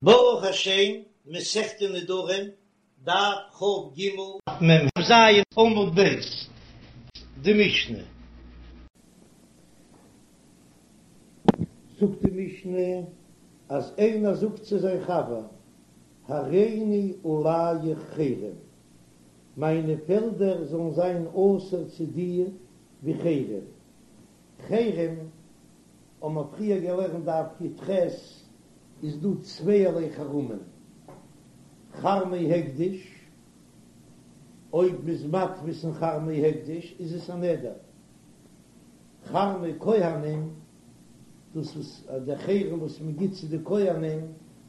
ברוך השם, מסכת נדרים, דף כ"ג, מ"ז עמוד ב', די משנה. זאגט די משנה אז איינער זאגט צו זיין חבר, הריני עליך חרם, מיינע פעלדער זאלן זיין אסור צו דיר ווי חרם, חרם האבן מיר פריער געלערנט דף י"ח, איז דא צווייערליי חרמים, חרמי הקדש, אויב מ'איז מתפיס אין חרמי הקדש איז עס א נדר, חרמי כהנים, דאס וואס דער חרם וואס מ'גיט צו די כהנים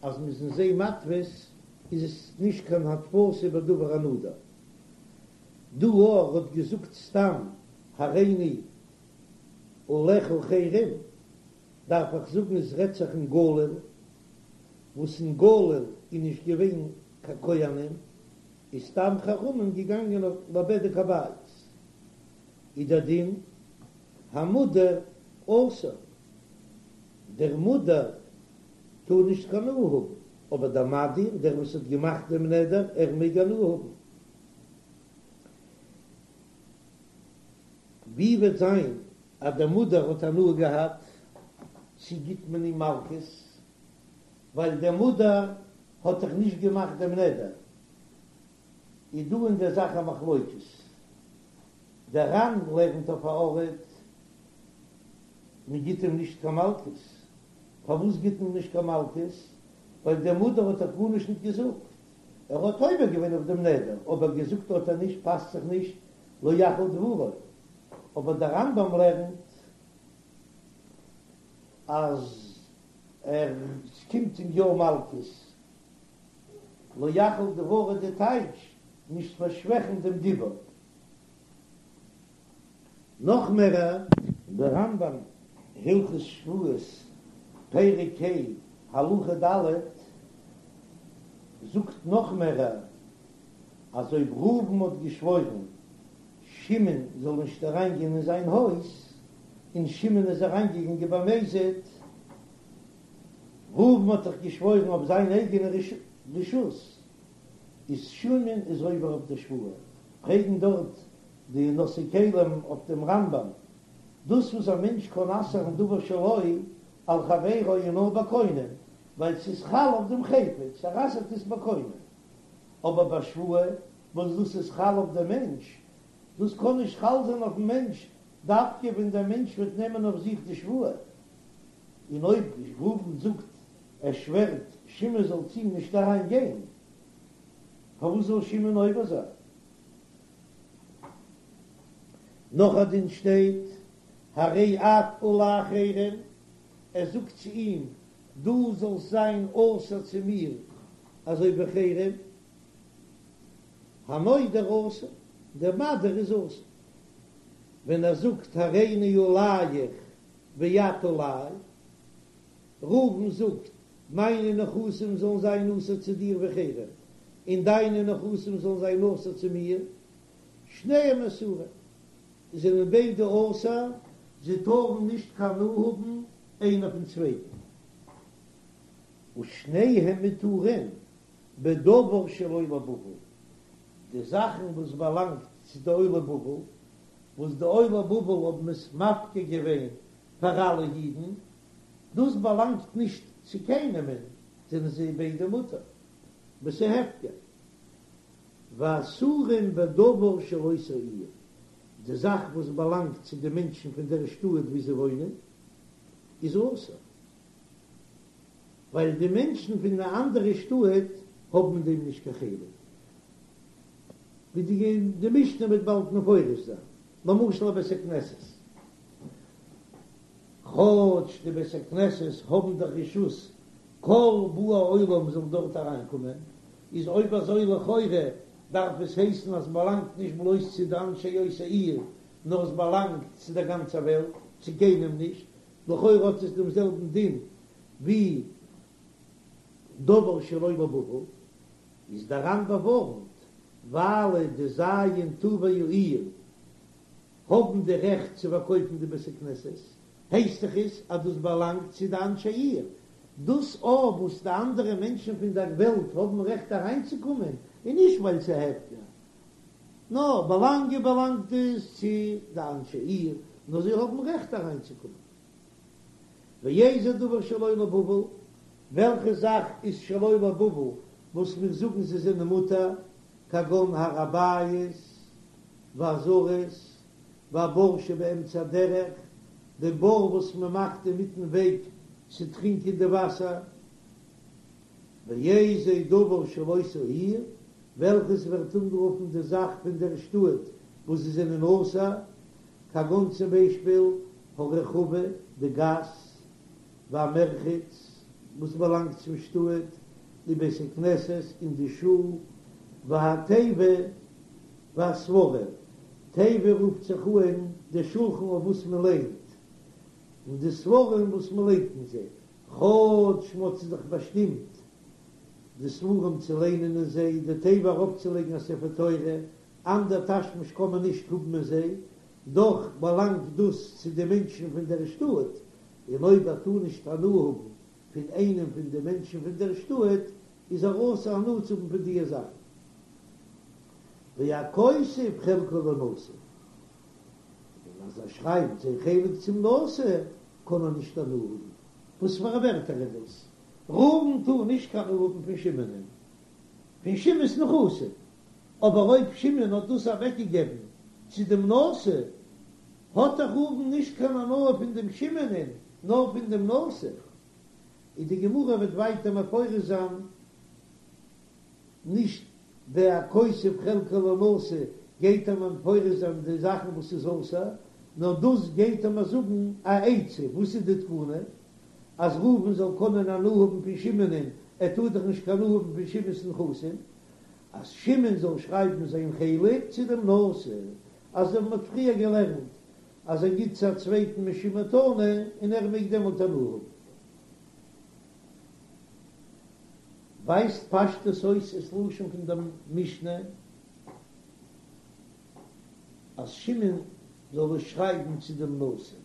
אז מ'איז אין זיי מתפיס, איז עס נישט קיין התפסה בדבר הנדור. דא ער האט געזאגט סתם הריני עליך חרם, דארף איך זאגן עס רעדט זיך אין גליל, וואס אין גליל איז נישט געווען קיין כהנים, איז סתם חרמים געגאנגען אויף לבדק הבית, איז דער דין המודר אסור, דער מודר טאר נישט קיין הנאה האבן, אבער דער מדיר, דער וואס האט געמאכט דעם נדר, ער מעג הנאה האבן. ווי וועט זיין אז דער מודר האט הנאה געהאט, צו גיט מען אים מלקות, ווייל דער מודר האט דאך נישט געמאכט דעם נדר, איז דא אין דער זאך א מחלוקת, דער ר"ן לערנט אויף א ארט מען גיט אים נישט קיין מלקות, פארוואס גיט מען נישט קיין מלקות, ווייל דער מודר האט דאך גארנישט נישט געזאגט, ער האט עובר געווען אויף דעם נדר, אבער געזאגט האט ער נישט, פאסט זיך נישט לא יחל דברו, אבער דער רמב"ם לערנט אז ער ס'קומט אים יא מלקות, לא יחל דברו די טייטש נישט פארשוועכן דעם דיבור. נאך מער, דער רמב"ם הלכות שבועות פרק ה' הלכה ד' זאגט נאך מער, אז אויב ראובן האט געשוואוירן שמעון זאל נישט אריינגיין אין זיין הויז, און שמעון איז אריינגעגאנגען במזיד, ראובן האט דאך געשוואוירן אויף זיין אייגענע רשות, איז שמעון איז עובר אויף די שבועה, פרעגן דארט די נושאי כלים אויף דעם רמב"ם, דאס וואס א מענטש קען אסר'ן דבר שלו על חברו איז נאר בקונם, ווייל ס'איז חל אויף דעם חפץ, ער אסר'ט עס בקונם. אבער ביי שבועה וואס דאס איז חל אויף דעם מענטש, דאס קען נישט חל זיין אויפן מענטש דווקא ווען דער מענטש וועט נעמען אויף זיך די שבועה, און אויב ראובן זאגט ער שווערט שמעון זאל צו אים נישט אריין גיין, פארוואס זאל שמעון עובר זיין? נאך א דין שטייט, הרי את עלי חרם, ער זאגט צו אים דו זאלסט זיין אסור צו מיר אזוי ווי חרם, המודר אסור, דער מדיר איז אסור, ווען ער זאגט הריני עליך ואת עלי, ראובן זאגט מיינע נכסים זאלן זיין אסור צו דיר ווי חרם, און דיינע נכסים זאלן זיין אסור צו מיר, שניהם אסורים, זענען ביידע אסור, זיי טארן נישט קיין הנאה האבן איינער פון צווייטן. ושניהם מותרים בדבר של עולי בבל, די זאכן וואס באלאנגט צו די עולי בבל, וואס די עולי בבל האבן עס מפקיר געווען פאר אלע אידן, דאס באלאנגט נישט צו קיינעמען, זענען זיי ביידע מותר, וואס איז הפקר. ואסורים בדבר של אותה עיר, די זאך וואס באלאנגט צו די מענטשן פון דער שטאט וואו זיי וואוינען, איז אסור, ווייל די מענטשן פון די אנדערע שטאט האבן אין דעם נישט קיין חלק, ווי די משנה וועט באלד מפרש זיין, למשל א בית הכנסת, כאטש די בית הכנסת האבן דאך רשות כל באי עולם זאל דארט אריינקומען, איז אויב אזוי לכאורה דארף עס הייסן אז ס'באלאנגט נישט בלויז צו די אנשי אותה עיר, נאר עס באלאנגט צו דער גאנצער וועלט, צו קיינעם נישט, לכאורה האט עס דעם זעלבן דין ווי דבר של עולי בבל, איז דער ר"ן באווארנט, ווייל די ז' טובי העיר האבן די רעכט צו פארקויפן די בית הכנסת, הייסט דאך עס אז דאס באלאנגט צו די אנשי עיר. דאס אויף וואס די אנדערע מענטשן פון דער וועלט האבן רעכט אריינצוקומען, איז נישט ווייל ס'איז הפקר, נאר באלאנגען באלאנגט עס צו די אנשי עיר, נאר זיי האבן רעכט אריינצוקומען. ואיזה דבר שלא לבבל, וועלכע זאך איז שלא לבבל וואס מיר זאגן זיי זענען מותר, כגון הר הבית והעזרות והבור שבאמצע הדרך, די בור וואס מען מאכט אינמיטן וועג צו טרינקען די וואסער, ואיזה דבר של אותה העיר, וועלכעס ווערט אנגערופן די זאך פון דער שטאט וואס זיי זענען אסור, כגון צום ביישפיל הרחבה, די גאס, והמרחץ, וואס באלאנגט צום שטאט, ובית הכנסת, און די שול, והתיבה, והספרים, תיבה רופט זיך אן די שולחן אויף וואס מען ליינט, און די ספרים וואס מען ליינט אין זיי, כאטש מען האט זיך דאך באשטימט די ספרים צו ליינען אין זיי, די תיבה ארויפצולייגן א ספר תורה, אנדער תשמיש קען מען נישט האבן אין זיי, דאך באלאנגט דאס צו די מענטשן פון דער שטאט, און אויב ער טאר נישט הנאה האבן פון איינעם פון די מענטשן פון דער שטאט, איז ער אסור הנאה צו האבן פון דיע זאכן. והכותב חלקו לנשיא, און אז ער שרייבט זיין חלק צום נשיא, קען ער נישט הנאה האבן. וואס פאר א ווערטער איז דאס? ראובן טאר נישט קיין הנאה האבן פון שמעונ'ען, פון שמעון'ס נכסים, אבער אויב שמעון האט דאס אוועקגעגעבן צו דעם נשיא, האט דאך ראובן נישט קיין הנאה פון דעם שמעונ'ען, נאר פון דעם נשיא. און די גמרא וועט ווייטער מפרש זיין נישט והכותב חלקו לנשיא גייט ער מפרש זיין די זאכן וואס איז אסור, נאר דאס גייט ער מיר זאגן א עצה, וואס איז די תקנה? אז ראובן זאל קענען הנאה האבן פון שמעונ'ען, ער טאר דאך נישט קיין הנאה האבן פון שמעון'ס נכסים, אז שמעון זאל שרייבן זיין חלק צו דעם נשיא, אזוי ווי מ'האט פריער געלערנט אז ער גיט צו א צווייטן משום מתנה און ער מעג דעמאלט הנאה האבן. ווייזט פשטות אויס עס לשון פון דער משנה אז שמעון זאל עס שרייבן צו דעם נשיא,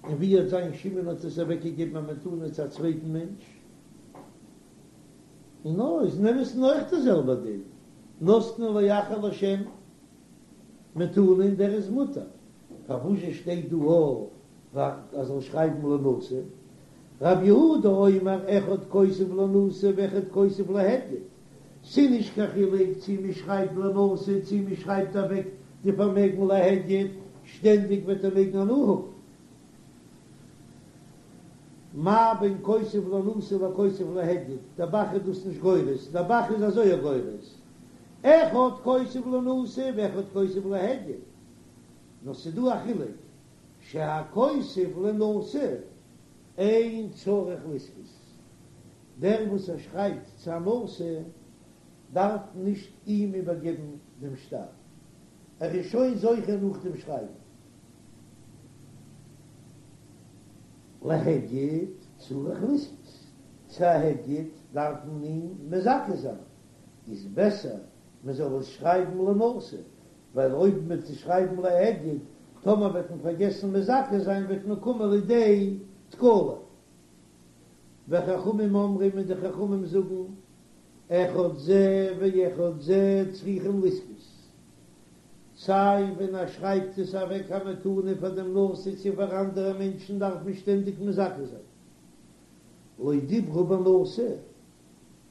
און ווי וועט זיין שמעון האט עס אוועקגעגעבן א מתנה צו א צווייטן מענטש, און נאר איז אין אמת'ן אויך דער זעלבער דין, נתנו לאחר לשם מתנה און דער איז מותר, פארוואזשע שטייט דא אז ער זאל שרייבן לנשיא? רב יהודה אומר אחד כותב לנשיא ואחד כותב להדיוט, ס'נישט קיין חילוק צי מ'שרייבט לנשיא צי מ'שרייבט אוועק די פארמעגן להדיוט, שטענדיג וועט ער מעגן הנאה האבן. מה בין כותב לנשיא לכותב להדיוט, דער ב"ח איז דאס נישט גורס, דער ב"ח איז אזוי גורס, אחד כותב לנשיא ואחד כותב להדיוט, נאר ס'דא א חילוק, שהכותב לנשיא אין צריך לזכות, דער וואס ער שרייבט צו א נשיא דארף נישט אים איבערגעבן דעם שטר, ער איז שוין זוכה נאך דעם שרייבן. להדיוט צריך לזכות, צו א הדיוט דארף מען אים מזכה זיין, איז בעסער מען זאל עס שרייבן לנשיא, ווייל אויב מען וועט עס שרייבן להדיוט, טאמער וועט מען פארגעסן מזכה זיין וועט מען קומען לידי תקלה. וחכמים אומרים און די חכמים זאגן, אחד זה ואחד זה צריכים לזכות, סיי ווען ער שרייבט עס אוועק א מתנה פאר דעם נשיא צו פאר אנדערע מענטשן דארף מען שטענדיג מזכה זיין, לא דיברו בנשיא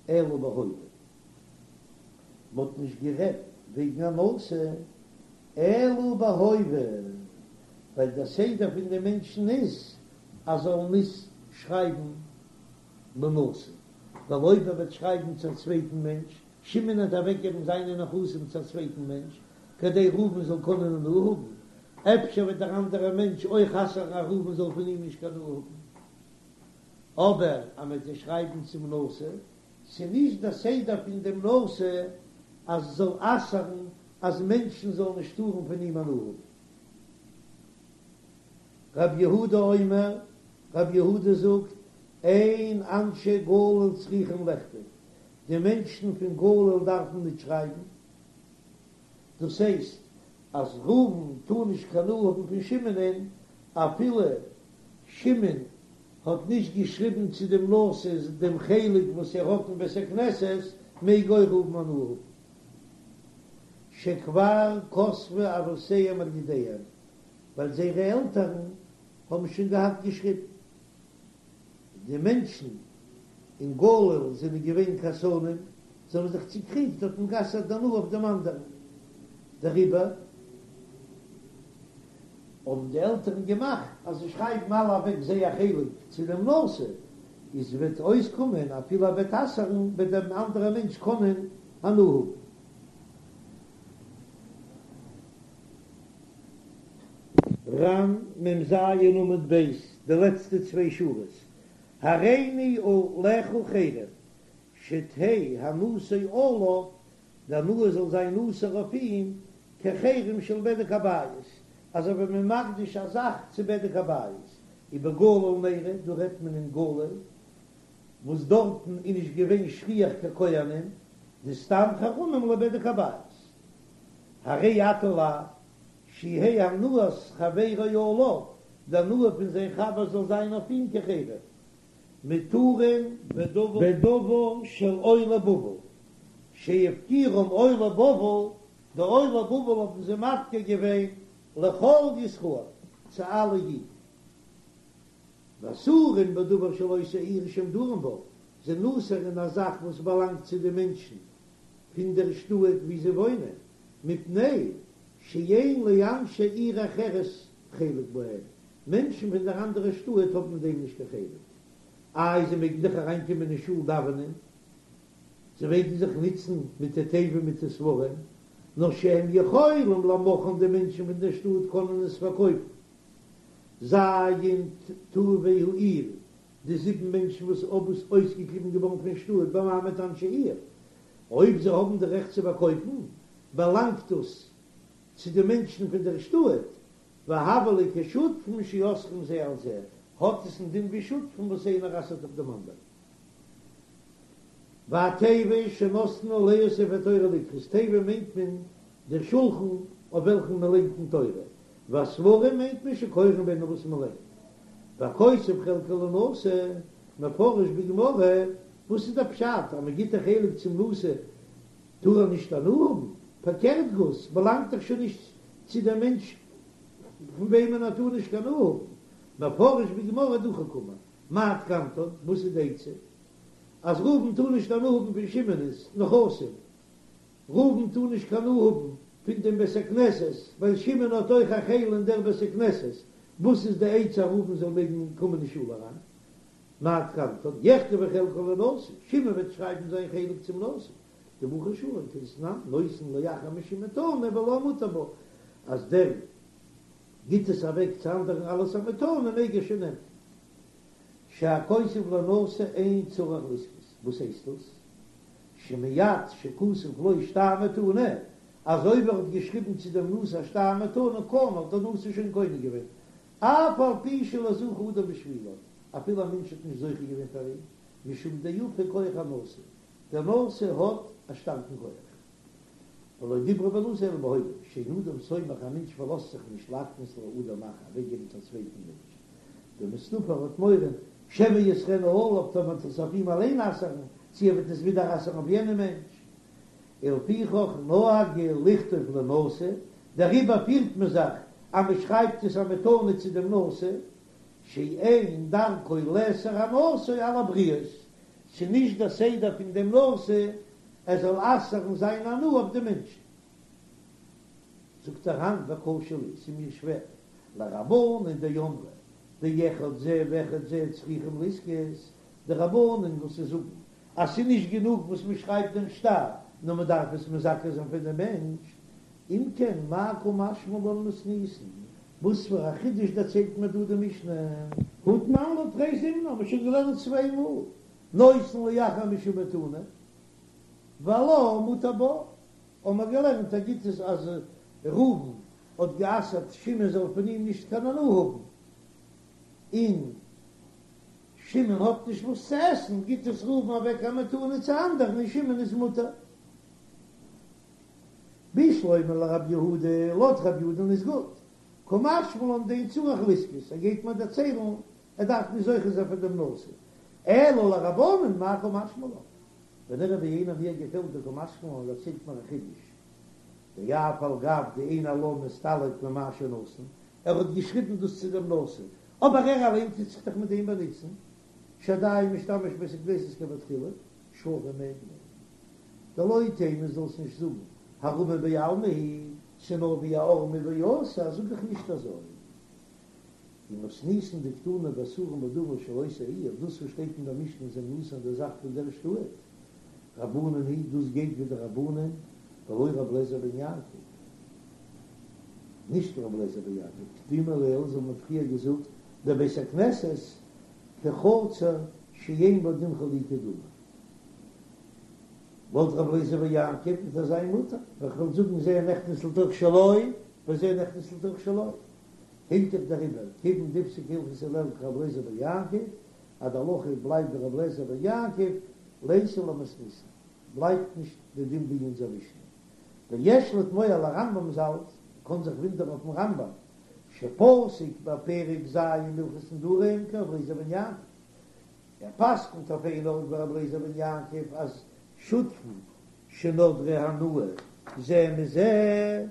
אלא בהווה. מ'האט נישט גערעדט וועגן א נשיא אלא בהווה, ווייל דער סדר פון די מענטשן איז אז זאלן נישט שרייבן לנשיא, ווייל אויב ער וועט שרייבן צו א צווייטן מענטש, שמעון וועט אוועקגעבן זיינע נכסים צו א צווייטן מענטש, כדי ראובן זאל קענען הנאה האבן, אפשר וועט דער אנדערער מענטש אויך אסר'ן אז ראובן זאל פון אים נישט קיין הנאה האבן. אבער אז מ'וועט עס שרייבן צום נשיא, ס'נישט דער סדר פון דעם נשיא אז עס זאל אסר'ן אז מענטשן זאלן נישט טארן פון אים הנאה האבן. רב יהודה אומר, רב יהודה זאגט, אין אנשי גליל צריכים לכתוב, די מענטשן פון גליל דארפן ניט שרייבן, דאס הייסט אז ראובן טאר נישט קיין הנאה האבן פון שמעונ'ען, אפילו שמעון. האט נישט געשריבן צו דעם נשיא דעם חלק וואס ער האט אין בית הכנסת, מעג אויך ראובן הנאה האבן. שכבר כתבו אבותיהם על ידיהם, ווייל זייערע עלטערן האבן שוין געהאט געשריבן. די מענטשן אין גליל זענען געווען כעסנים, זיי האבן זיך צוקריגט, האט מען גע'אסר'ט די הנאה אויף דעם אנדערן. דעריבער האבן די עלטערן געמאכט אז זיי שרייבן אלע אוועק זייער חלק צו דעם נשיא, איז וועט אויסקומען אפילו ער וועט אסר'ן וועט דער אנדערער מענטש קענען הנאה האבן. ר"ן מ"ז עמוד ב', די לעצטע צוויי שורות, הריני עליך חרם, שתהא הנאתו עליו, די הנאה זאל זיין אסור אויף אים, כחרם של בדק הבית, אזוי ווי מען מקדיש א זאך צו בדק הבית, ובגליל נראה, דא רעדט מען אין גליל, וואס דארטן איז נישט געווען שכיח קיין כהנים, דסתם חרמים לבדק הבית. הרי אתה עלי, שיהא הנאת חברו עליו, די הנאה פון זיין חבר זאל זיין אויף אים כחרם. מותרין בדבר של עולי בבל, שהפקירום עולי בבל, די עולי בבל האבן זיי מפקיר געווען לכל ישראל, צו אלע אידן. ואסורין בדבר של אותה עיר שהם דרים בה, זענען אסור אין א זאך וואס באלאנגט צו די מענטשן פון דער שטאט וואו זיי וואוינען, מפני שאין לאנשי עיר אחרת חלק בהם, מענטשן פון דער אנדערער שטאט האבן אין דעם נישט קיין חלק. איי זיי מעגן דאך אריינקומען אין שול דאווענען, זיי מעגן זיך נוצן מיט די תיבה מיט די ספרים, נאר שהם יכולים למוכרן די מענטשן פון דער שטאט קענען עס פארקויפן. ז' טובי העיר, די זיבן מענטשן וואס האבן אויסגעקליבן געווארן פון שטאט במעמד אנשי עיר, אויב זיי האבן די רעכט צו פארקויפן, באלאנגט דאס צו די מענטשן פון דער שטאט, והוה ליה כשותפין שאוסרין זה על זה, האט עס א דין ווי שותפים וואס איינער אסר'ט אויף דעם אנדערן. והתיבה שנותנין עליה ספר תורה לקרות, תיבה מיינט מען דער שולחן אויף וועלכן מען לייגט די תורה, והספרים מיינט מען שקורין בהן וואס מען ליינט. והכותב חלקו לנשיא, מפרש בגמרא, וואס איז דער פשט אז מען גיט א חלק צום נשיא טאר ער נישט הנאה האבן? פארקערט גאר, ס'באלאנגט דאך שוין נישט צו דעם מענטש פון וועמען ער טאר נישט קיין הנאה האבן. מפרש בגמרא דחוק קאמר, מאי תקנתן, וואס איז די עצה? אז ראובן טאר נישט הנאה האבן פון שמעון'ס נכסים, ראובן טאר נישט קיין הנאה האבן פון דעם בית הכנסת, ווייל שמעון האט אויך א חלק אין דער בית הכנסת, וואס איז די עצה אז ראובן זאל מעגן קומען אין שול אריין? מאי תקנתן, יכתבו חלקן לנשיא, שמעון וועט שרייבן זיין חלק צום נשיא, דבחר שלום כדתנן, נותן לאחר משום מתנה ולה מותר בה, אז דער גיט עס אוועק צו אנדערן אלס א מתנה מעג ער שוין נעמען. שהכותב לנשיא אין צריך לזכות, וואס הייסט דאס? שמיד שכתב לו שטר מתנה, אז אויב ער האט געשריבן צו דעם נשיא א שטר מתנה קנה, האט דער נשיא שוין קונה געווען, אף על פי שלא זכה אדם בשבילו, אפילו א מענטש האט נישט זוכה געווען פאר אים, משום דיפה כח הנשיא, דער נשיא האט א שטארקן כח. ולא דיברו בנשיא אלא בהווה, שאין אדם סומך, א מענטש פארלאזט זיך נישט להקנות לאדם אחר, אוועקגעבן צו א צווייטן מענטש, דמסתפי האט מורא, שמא יאסרנה עליו, טאמער וועט עס אויף אים אליין אסר'ן, צו ער וועט עס ווידער אסר'ן אויף יענעם מענטש. ולפיכך נהגו לכתוב לנשיא, דעריבער פירט מען זיך אז מען שרייבט עס א מתנה צו דעם נשיא, שאין דרכו לאסור הנאתו על הבריות, ס'איז נישט דער סדר פון דעם נשיא ער זאל אסר'ן זיין הנאה אויף די מענטשן. זאגט דער ר"ן וקשה לי, ס'איז מיר שווער, לרבנן דאמרי דאחד זה ואחד זה צריכים לזכות, די רבנן וואס זיי זאגן אז ס'איז נישט גענוג וואס מען שרייבט דעם שטר, נאר מען דארף עס מזכה זיין פון דעם מענטש, אם כן מאי קא משמע לן מתניתין, וואס פאר א חידוש דערציילט מיר דא די משנה? הא תנן לה תרי זימני האבן מיר שוין געלערנט צוויי מאל, נותן לאחר משום מתנה, והלה מותר בה, האבן מיר געלערנט א גוטס אז ראובן האט גע'אסר'ט שמעון זאל פון אים נישט קיין הנאה האבן, און שמעון האט נישט וואס צו עסן, גיט עס ראובן אוועק א מתנה צו אנדערן און שמעון איז מותר. בשלמא לרב יהודה, לויט רב יהודה'ן איז גוט, קא משמע לן דאין צריך לזכות, ער גייט מיר דערציילן. ער דארף נישט זוכה זיין פאר דעם נשיא, אלא לרבנן מאי קא משמע לן, ונראה בעיני מיר געפעלט די קא משמע לן דערציילט מיר א חידוש, דאף על גב דאין הלן מסתלק ממה שנתן, ער האט געשריבן דאס צו דעם נשיא, אבער ער אליין טוט זיך דאך מיט דעם באנוצן, שעדיין משתמש בבית הכנסת כבתחילה, שרי מעג מען. דלא תימא זאלסט נישט זאגן הערמה בעלמא היא, ס'נאר ווי א ערמי ואסור, זאג איך נישט אזוי. ומתניתין דקתני באסורין בדבר של אותה העיר, דאס וואס שטייט אין דער משנה זענען אסור אין דער זאך פון דער שטאט, רבנן היא, דאס גייט ווי די רבנן, ולא רבי אליעזר בן יעקב, נישט רבי אליעזר בן יעקב, כדאמר לעיל אזוי האט מען פריער געזאגט, דבית הכנסת כחצר שאין בה דין חלוקה דמי. לויט רבי אליעזר בן יעקב וועט ער זיין מותר, ווייל כ'וועל זאגן זה נכנס לתוך שלו וזה נכנס לתוך שלו. הילכך דעריבער, כיוון דפסק הלכת הלל כרבי אליעזר בן יעקב, אז די הלכה בלייבט ווי רבי אליעזר בן יעקב, ליתא למתניתין, בלייבט נישט די דין ווי אונזער משנה. ויש לתמוה על הרמב"ם ז"ל, קען זיך ווינדערן אויפן רמב"ם, שפסק בפרק ז' הלכות נדרים כרבי אליעזר בן יעקב, ער פסק'נט אויף איין ארט ווי רבי אליעזר בן יעקב אז שותפין שנדרו הנאה זה מזה,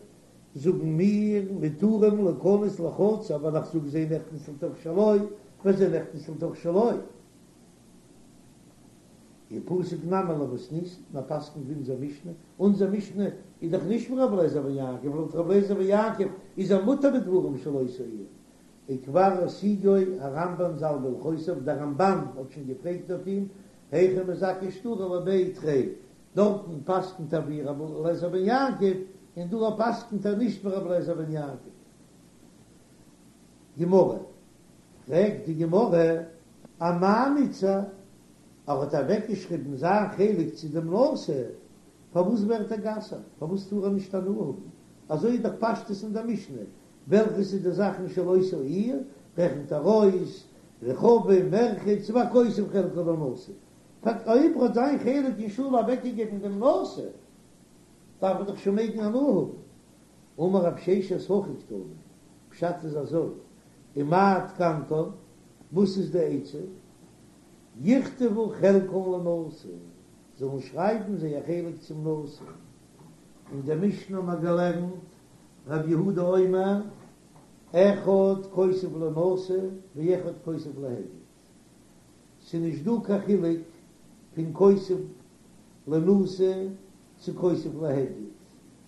זאגן מיר מותרים להיכנס לחצר ווייל איך זאג זה נכנס לתוך שלו וזה נכנס לתוך שלו. ופסיק נמי למתניתין, ער פסק'נט ווי אונזער משנה, אונזער משנה איז דאך נישט ווי רבי אליעזר בן יעקב, לויט רבי אליעזר בן יעקב איז ער מותר בדברים של אותה העיר, וכבר השיגו הרמב"ן ז"ל בהלכותיו, דער רמב"ן האט שוין געפרעגט אויף אים, היכי מזכי שטרא לבי תרי, דארטן פסק'נט ער ווי רבי אליעזר בן יעקב, און דא פסק'נט ער נישט ווי רבי אליעזר בן יעקב. גמרא, פרעגט די גמרא, אמאי מיתסר, ער האט אוועקגעשריבן זיין חלק צו דעם נשיא, פארוואס ווערט ער גע'אסר'ט? פארוואס טאר ער נישט הנאה האבן? אזוי איז דאך פשטות אין דער משנה, וועלכעס איז די זאכן של אותה העיר, רעכנט ער אויס, רכבים, מרחץ, והכותב חלקו לנשיא. פארט אויב ער האט זיין חלק אין שול אוועקגעגעבן דעם נשיא, דארף ער דאך שוין מעגן הנאה האבן. אמר רב ששת הכי קתני, פשט איז אזוי, ומה תקנתן, וואס איז די עצה? יכתבו חלקן לנשיא, זאלן שרייבן זייער חלק צום נשיא. אין דער משנה האבן מיר געלערנט, רב יהודה אומר, אחד כותב לנשיא ואחד כותב להדיוט. ס'איז נישט דא קיין חילוק פון כותב לנשיא צו כותב להדיוט,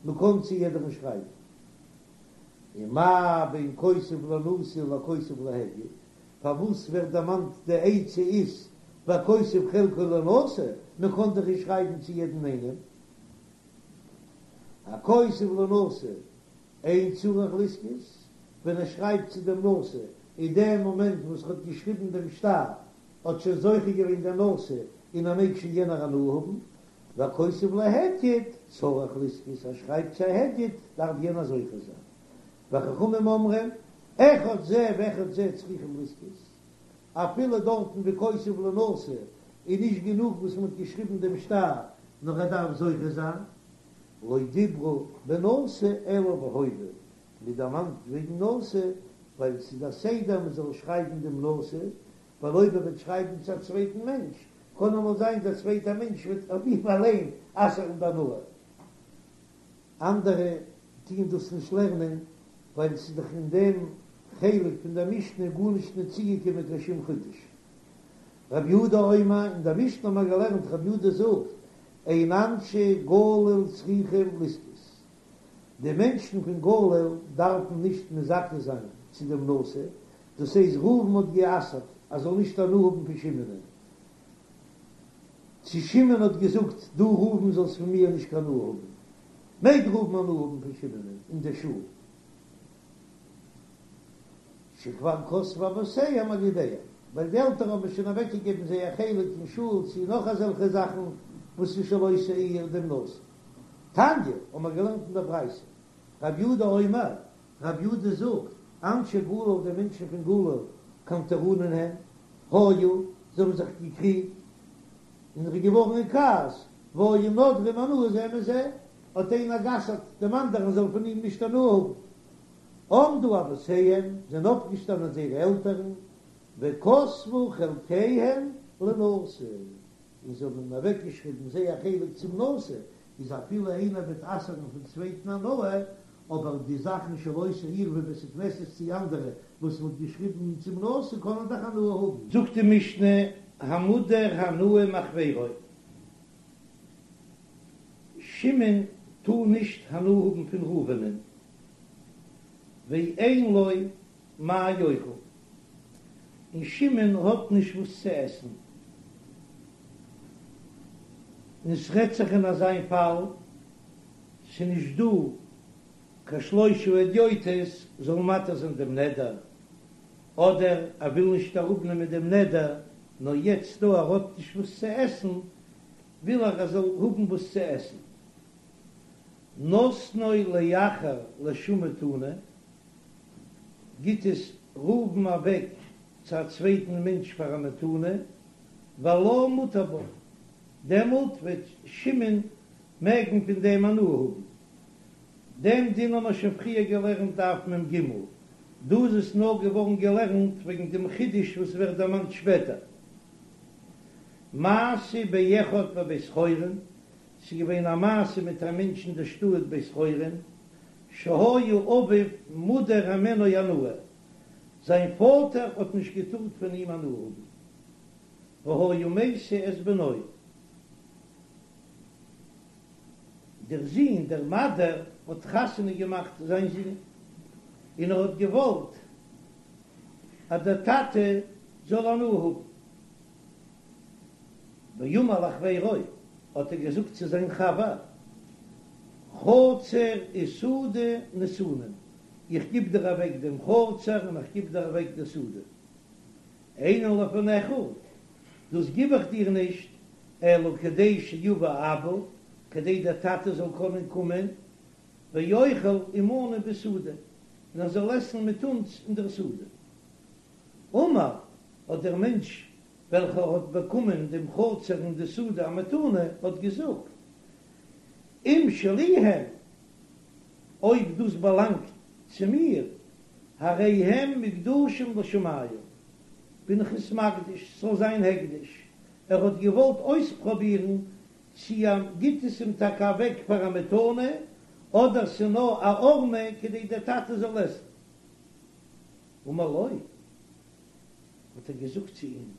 מ'קען צו יעדערן שרייבן. ומה בין כותב לנשיא לכותב להדיוט, פארוואס ווערט דערמאנט די עצה איז והכותב חלקו לנשיא, מ'קען דאך נישט שרייבן צו יעדן איינעם. הכותב לנשיא אין צריך לזכות, ווען ער שרייבט צו דעם נשיא, אין דעם מאמענט וואס ער האט געשריבן דעם שטר, האט שוין זוכה געווען דער נשיא און ער מעג שוין יענער הנאה האבן, והכותב להדיוט צריך לזכות, ער שרייבט צו א הדיוט, דארף יענער זוכה זיין. וחכמים אומרים, אחד זה ואחד זה צריכים לזכות, אפילו דארטן ווי כותב לנשיא איז נישט גענוג וואס מען האט געשריבן דעם שטר, נאר ער דארף זוכה זיין. לא דיברו בנשיא אלא בהווה, מען דערמאנט וועגן נשיא ווייל ס'איז א סדר מען זאל שרייבן דעם נשיא, ווייל אויב ער וועט שרייבן צו א צווייטן מענטש, קען אמאל זיין דער צווייטער מענטש וועט אויף אים אליין אסר'ן די הנאה. אנדערע טוען דאס נישט לערנען ווייל ס'איז דאך אין דעם חלק פון דער משנה גארנישט נישט צוגעקומען קיין שום חידוש. רב יהודה אומר, אין דער משנה האבן מיר געלערנט רב יהודה זאגט, אין אנשי גליל צריכים לזכות, די מענטשן פון גליל דארפן נישט מזכה זיין צו דעם נשיא, דאס הייסט ראובן האט גע'אסר'ט ער זאל נישט הנאה האבן פון שמעונ'ען, צו שמעון האט געזאגט דו ראובן זאלסט פון מיר נישט קיין הנאה האבן, מעג ראובן הנאה האבן פון שמעונ'ען אין דער שול, שכבר כתבו אבותיהם על ידיהם, ווייל די עלטערן האבן שוין אוועקגעגעבן זייער חלק אין שול צו נאך אזעלכע זאכן וואס איז של אותה העיר דעם נשיא. תניא, האבן מיר געלערנט אין דער ברייתא, רב יהודה אומר, רב יהודה זאגט, אנשי גליל די מענטשן פון גליל קנטרנין הן, היו, זיי האבן זיך געקריגט, און ער איז געווארן אין כעס, והיו נודרים הנאה זה מזה, האט איינער גע'אסר'ט דעם אנדערן זאל פון אים נישט הנאה האבן. עמדו אבותיהם, זענען אויפגעשטאנען זייערע עלטערן. וכתבו חלקיהן לנשיא, און זיי האבן אוועקגעשריבן זייער חלק צום נשיא, איז אפילו איינער וועט אסר'ן פון צווייטן הנאה, אבער די זאכן של אותה עיר ווי בית הכנסת צי אנדערע וואס מ'האט געשריבן צום נשיא קענען דאך הנאה האבן. זאגט די משנה, המודר הנאה מחבירו, שמעון טאר נישט הנאה האבן פון ראובנ'ען, ואין לו מה יאכל, און שמעון האט נישט וואס צו עסן, און ס'רעדט זיך אין אזיין פאל, ס'נישט דא קיין שלושה הדיוטות זאלן מתיר זיין דעם נדר, אדער ער וויל נישט אראפנעמען דעם נדר, נאר יעצט דא ער האט נישט וואס צו עסן, וויל ער ער זאל האבן וואס צו עסן. נתנו לאחר לשום מתנה, גיט עס ראובן אוועק צו א צווייטן מענטש פאר א מתנה, והלה מותר בה, דעמאלט וועט שמעון מעגן פון דעם הנאה האבן. דעם דין האבן מיר שוין פריער געלערנט דף מ"ג, דא איז עס נאר געווארן געלערנט וועגן דעם חידוש וואס ווערט דערמאנט שפעטער. מעשה באחד בבית חורון, ס'איז געווען א מעשה מיט א מענטש אין דער שטאט בית חורון, שהיה אביו מודר הימנו הנאה, זיין פאטער האט נישט געטארט פון אים הנאה האבן, והיה משיא את בנו, דער זון, דער מדיר, האט חתונה געמאכט זיין זון, און ער האט געוואלט אז דער טאטע זאל הנאה האבן. ואמר לחבירו, האט ער געזאגט צו זיין חבר, חצר ושדה נתונים, איך גיב דיר אוועק דעם חצר און איך גיב דיר אוועק די שדה. אינן לפניך, דאס גיב איך דיר נישט, אלא כדי שיבא אבא, כדי דער טאטע זאל קענען קומען, ויאכל עמנו בשדה, און ער זאל עסן מיט אונז אין דער שדה. אמר, האט דער מענטש וועלכער האט באקומען דעם חצר און די שדה א מתנה, האט געזאגט, אם שלי הם, אויב דאס באלאנגט צו מיר, הרי הם מוקדשים לשמים, בין איך עס מקדיש, ס'זאל זיין הקדש. ער האט געוואלט אויספראבירן צי ער גיט עס אים טאקע אוועק פאר א מתנה, אדער ס'נאר א הערמה כדי דער טאטע זאל עסן. אמר לו, האט ער געזאגט צו אים,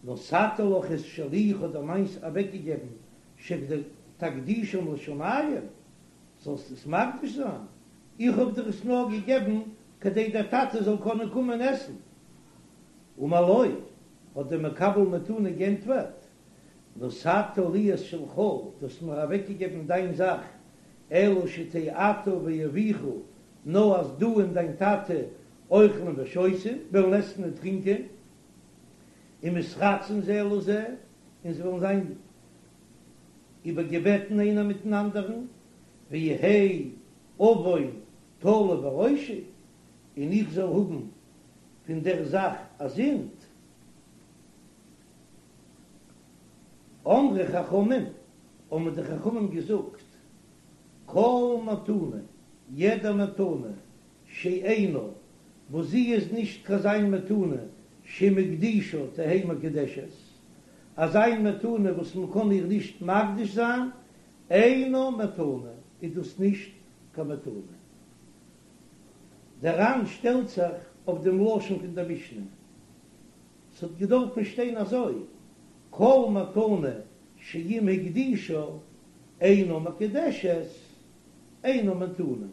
נתתי לך את שלי, איך האב דיר מיינס אוועקגעגעבן, שתקדישם לשמים, זאלסט עס מקדיש זיין, איך האב דיר עס נאר געגעבן כדי דער טאטע זאל קענען קומען עסן. אמר לו, האט דער מקבל מתנה גענטפערט, נתת לי את שלך, דו האסט מיר אוועקגעגעבן דיין זאך, אלא שתהא אתה ואביך, נאר אז דו און דיין טאטע אוכלים ושותים, וועלן עסן און טרינקען, ומתרצין זה לזה, און זיי וועלן זיין איבערגעבעטן איינער מיטן אנדערן, ויהא עון תלוי בראשי, און איך זאל האבן פון דער זאך א זינד. אמרו חכמים, האבן די חכמים געזאגט, כל מתנה, יעדע מתנה, שאינה, וואס זי איז נישט קיין אזא מין מתנה שאם הקדישה תהא מקודשת, אזא מין מתנה וואס מען קען איר נישט מקדיש זיין, אינה מתנה, איז דאס נישט קיין מתנה. דער ר"ן שטעלט זיך אויף דעם לשון פון דער משנה, ס'האט געדארפן שטיין אזוי, כל מתנה שאם הקדישה אינה מקודשת אינה מתנה,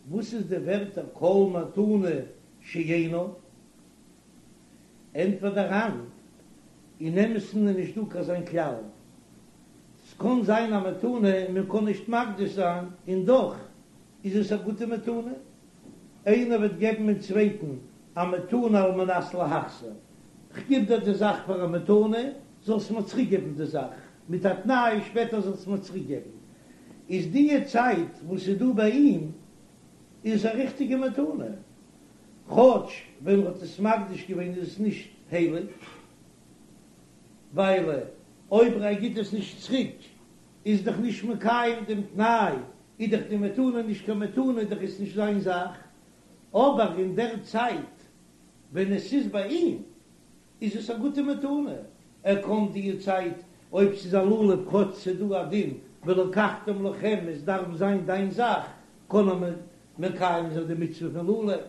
וואס איז די ווערטער כל מתנה שאינה? ענטפערט דער ר"ן, אין אמת'ן איז נישט דא קיין אזא כלל, ס'קען זיין א מתנה מען קען נישט מקדיש זיין און דאך איז עס א גוטע מתנה, איינער וועט געבן דעם צווייטן א מתנה על מנת להחזיר, כ'גיב דיר די זאך פאר א מתנה, זאלסט מיר צוריק געבן די זאך, מיט א תנאי שפעטער זאלסט מיר צוריק געבן, איז דיע צייט וואס איז דא ביי אים איז עס א ריכטיגע מתנה, כאטש ווען מ'האט עס מקדיש געווען איז עס נישט הייליג, ווייל אויב ער גיט עס נישט צוריק איז דאך נישט מקיים דעם תנאי, איז דאך די מתנה נישט קיין מתנה, דאך איז נישט זיין זאך, אבער אין דער צייט ווען עס איז ביי אים. איז עס א גוטע מתנה, ער קען די צייט אויב ס'איז א לולב כאטש ס'איז דא א דין ולקחתם לכם עס דארף זיין דיין זאך, קען ער מקיים זיין די מצוה פון לולב,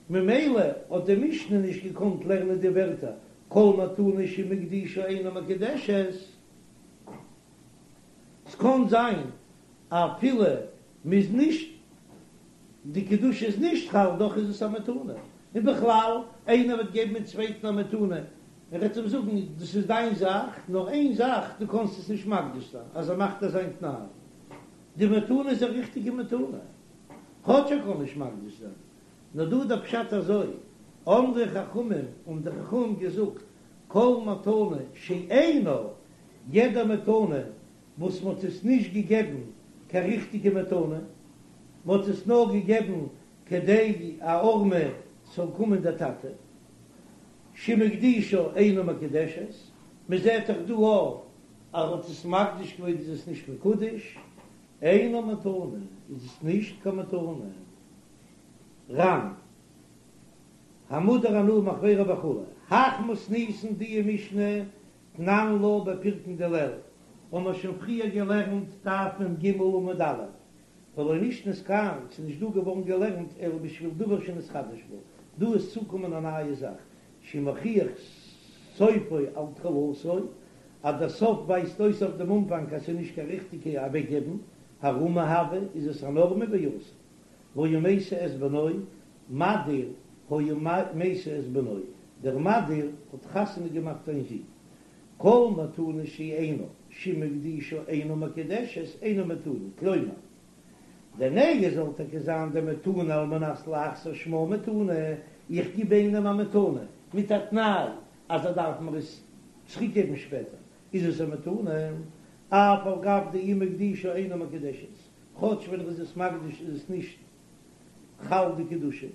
ממילא האט די משנה נישט געקאנט לערנען די ווערטער כל מתנה שאם הקדישה אינה מקודשת, ס'קען זיין אפילו מ'איז נישט די קדושה איז נישט חל דאך איז עס א מתנה, און בכלל איינער וועט געבן דעם צווייטן א מתנה ער וועט אים זאגן דאס איז דיין זאך נאר איין זאך דו קענסט עס נישט מקדיש זיין אז ער מאכט אזא תנאי די מתנה איז א ריכטיגע מתנה כאטש ער קען נישט מקדיש זיין נאר דא איז דער פשט אזוי אמרו חכמים האבן די חכמים געזאגט כל מתנה שאינה יעדע מתנה וואס מ'האט עס נישט געגעבן קיין ריכטיגע מתנה, מ'האט עס נאר געגעבן כדי א הערמה ס'זאל קומען דער טאטע, שאם הקדישה אינה מקודשת, מ'זעט דאך דא אויך אז ער האט עס מקדיש געווען איז עס נישט מקודש, אינה מתנה איז עס נישט קיין מתנה. ר"ן המודר הנאה מחבירו וכו', הך מתניתין די משנה תנן לה בפירקין דלעיל, האבן מיר שוין פריער געלערנט דף מ"ג עמוד א', ולא נשנית כאן, ס'איז נישט דא געווארן געלערנט אלא בשביל דבר שנתחדש בה, דא איז צוקומען א נייע זאך, שמוכיח סופו על תחילתו, אז דער סוף ווייזט אויס אויף דעם אנפאנג אז ס'איז נישט קיין ריכטיגע אוועקגעבן, הערמה הוה, איז עס אן הערמה ואסור. והיה משיא את בנו, מדיר היה משיא את בנו, דער מדיר האט חתונה געמאכט זיין זון. כל מתנה שאינה שאם הקדישה אינה מקודשת אינה מתנה, כלומר, דנהי זאל טאקע זיין די מתנה על מנת להחזיר שמה מתנה, איך גיב איינעם א מתנה מיט א תנאי אז ער דארף מיר עס צוריק געבן שפעטער, איז עס א מתנה, אף על גב דאם הקדישה אינה מקודשת, כאטש ווען ער איז עס מקדיש איז עס נישט חל די קדושה.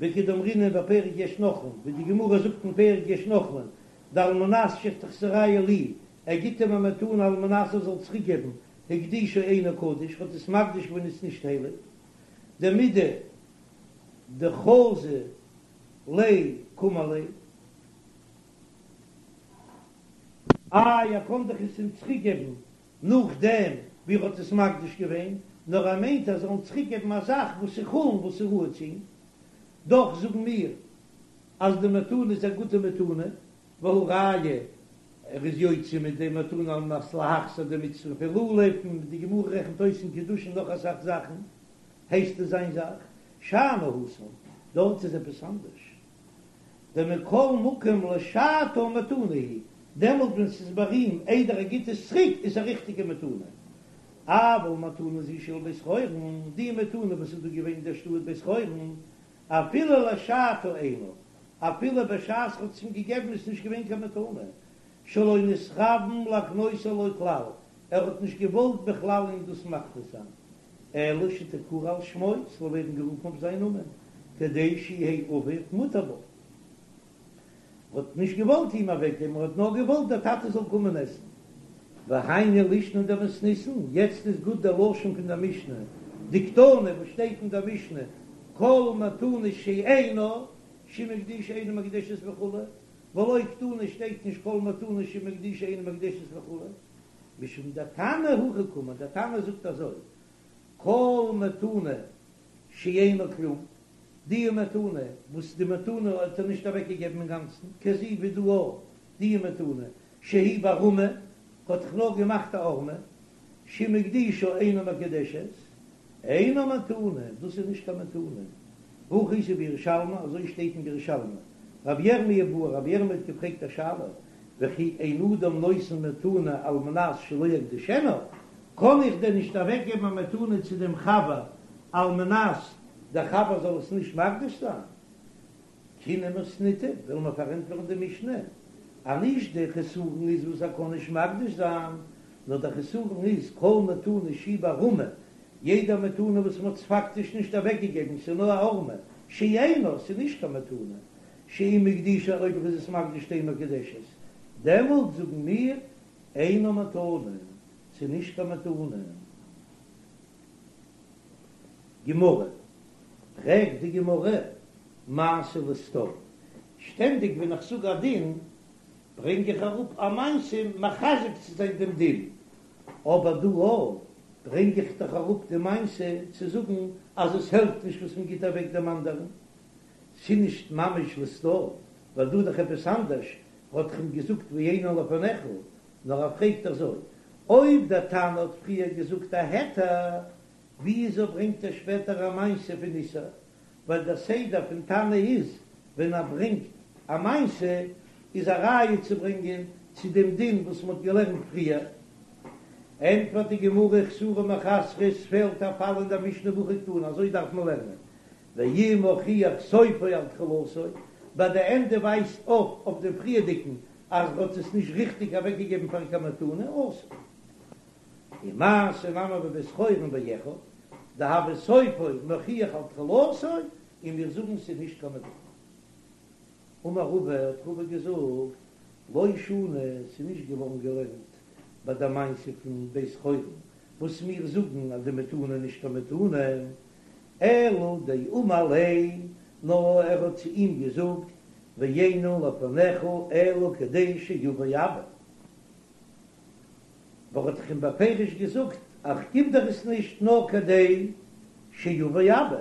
וכדאמרינן בפרק יש נוחלין, ווי די גמרא זאגט אין פרק יש נוחלין, דעל מנת שתחזירהו לי, ער גיט אים א מתנה על מנת ער זאל צוריק געבן, הקדישו אינו קדוש, האט עס מקדיש געווען איז נישט הייליג, דמידי דחזי ליה קאמר ליה. איי ער קען דאך עס אים צוריק געבן נאכדעם ווי ער האט עס מקדיש געווען, נאר ער מיינט אז ער זאל אים צוריק געבן א זאך וואס איז חולין וואס איז ראוי צו אים, דאך זאגן מיר אז די מתנה איז א גוטע מתנה, והא ראיה ער איז יוצא מיט די מתנה על מנת להחזיר די מצוה פון לולב, און די גמרא רעכנט אויס אין קידושין נאך אסאך זאכן, הייסט עס זיין זאך, שאני התם, דארט איז עפעס אנדערש. דמכל מקום לשעתה מתנה היא, דעמאלט ווען ס'איז ביי אים איידער ער גיט עס צוריק איז א ריכטיגע מתנה. אבל מתנה זו של בית חורון, די מתנה וואס איז דא געווען אין דער שטאט בית חורון, אפילו לשעתה אינה, אפילו בשעת ר'האט עס אים געגעבן איז נישט געווען קיין מתנה, שלא נתכוון להקנותה לו כלל, ער האט נישט געוואלט בכלל אים דאס מקנה זיין, אלא שתקרא על שמו, ס'זאל ווערן גערופן אויף זיין נאמען, כדי שיהא אביו מותר בה. ער האט נישט געוואלט אים אוועקגעבן, ער האט נאר געוואלט דער טאטע זאל קומען עסן. והיינו לישנא דמתניתין, יעצט איז גוט דער לשון פון דער משנה, דקתני וואס שטייט אין דער משנה, כל מתנה שאינה שאם הקדישה אינה מקודשת וכו', ולא קתני שטייט נישט כל מתנה שאם הקדישה אינה מקודשת וכו'. משום דתנא הכי קאמר, דער תנא זאגט אזוי, כל מתנה שאינה כלום, די מתנה וואס די מתנה האט ער נישט אוועק געגעבן אינגאנצן, כזו ווי דא אויך, די מתנה שהיא בהערמה, האט זיך נאר געמאכט א הערמה, שאם הקדישה אינה מקודשת, אינה מתנה, דאס איז נישט קיין מתנה. והכי איתא בירושלמי, אזוי שטייט אין ירושלמי. רבי ירמי' בעי, רבי ירמי' האט געפרעגט א שאלה, וכי אין אדם נותן מתנה על מנת שלא יקדישנה, קען איך דען נישט אוועקגעבן א מתנה צו דעם חבר על מנת דער חבר זאל עס נישט מקדיש זיין? תינא מתניתא, וועלן מיר פארענטפערן די משנה, אז נישט דער חסרון איז וואס ער קען נישט מקדיש זיין, נאר דער חסרון איז כל מתנה שהיא בהערמה, יעדע מתנה וואס מ'האט עס פאקטיש נישט אוועקגעגעבן, ס'איז נאר א הערמה, שאינה, ס'איז נישט קיין מתנה, שאם הקדישה אויב ער איז עס מקדיש תהא מקודשת, דעמאלט זאגן מיר אינה מתנה, ס'איז נישט קיין מתנה. גמרא, פרעגט די גמרא, מעשה לסתור? שטענדיג ווען איך זאג א דין ברענג איך אראפ א מעשה מחזק צו זיין דעם דין, אבער דא אויך ברענג איך דאך אראפ די מעשה צו זאגן אז עס העלפט נישט וואס מען גיט אוועק דעם אנדערן, ס'איז נישט ממש לסתור, ווייל דא איז דאך עפעס אנדערש, האט דאך אים געזאגט ואינן לפניך, נאר ער פרעגט אזוי, אויב דער תנא האט פריער געזאגט א היתר, וויאזוי ברענגט ער שפעטער א מעשה פון איסור? ווייל דער סדר פון תנא איז ווען ער ברענגט א מעשה איז א ראיה צו ברענגען צו דעם דין וואס מ'האט געלערנט פריער. ענטפערט די גמרא חסורי מחסרא עס פעלט א פאל אין דער משנה והכי קתני אזוי דארף מען לערנען ואם הוכיח סופו על תחילתו ביי די ענדע ווייזט אויף אויף דעם פריערדיגן אז ער האט עס נישט ריכטיג אוועקגעגעבן פאר קיין מתנה אסור. ומעשה נמי בבית חורון באחד דהוה סופו מוכיח על תחילתו, און מיר זאגן ס'איז נישט קיין מתנה. אמר רבא, האט רבא געזאגט, לא שנו, ס'איז נישט געווארן געלערנט ביי די מעשה פון בית חורון, וואס מיר זאגן אז די מתנה איז נישט קיין מתנה, אלא דאמר ליה, נאר ער האט צו אים געזאגט, ואינן לפניך אלא כדי שיבא אבא. ווייל ער האט דאך אים בפירוש געזאגט איך גיב דיר עס נישט נאר כדי שיבוא אבא,